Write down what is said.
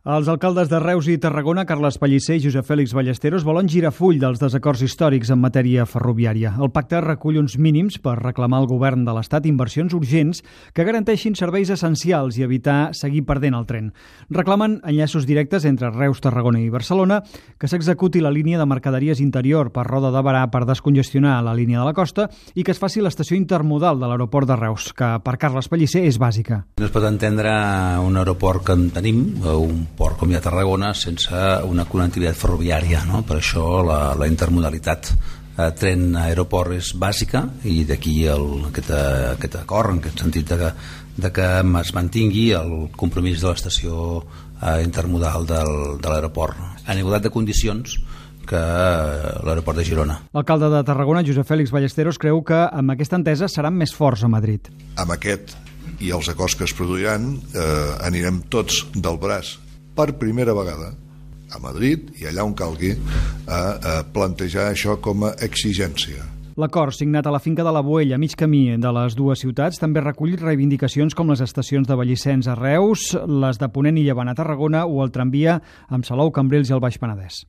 Els alcaldes de Reus i Tarragona, Carles Pellicer i Josep Fèlix Ballesteros, volen girar full dels desacords històrics en matèria ferroviària. El pacte recull uns mínims per reclamar al govern de l'Estat inversions urgents que garanteixin serveis essencials i evitar seguir perdent el tren. Reclamen enllaços directes entre Reus, Tarragona i Barcelona, que s'executi la línia de mercaderies interior per Roda de Berà per descongestionar la línia de la costa i que es faci l'estació intermodal de l'aeroport de Reus, que per Carles Pellicer és bàsica. No es pot entendre un aeroport que en tenim, un port com hi ha a Tarragona, sense una connectivitat ferroviària, no? Per això la intermodalitat tren-aeroport és bàsica i d'aquí aquest acord, en aquest sentit de que es mantingui el compromís de l'estació intermodal de l'aeroport en igualtat de condicions que l'aeroport de Girona. L'alcalde de Tarragona, Josep Fèlix Ballesteros, creu que amb aquesta entesa seran més forts a Madrid. Amb aquest i els acords que es produiran anirem tots del braç per primera vegada a Madrid i allà on calgui a plantejar això com a exigència. L'acord signat a la finca de la Boella, a mig camí de les dues ciutats, també recull reivindicacions com les estacions de Vallissens a Reus, les de Ponent i Llevant a Tarragona o el tramvia amb Salou, Cambrils i el Baix Penedès.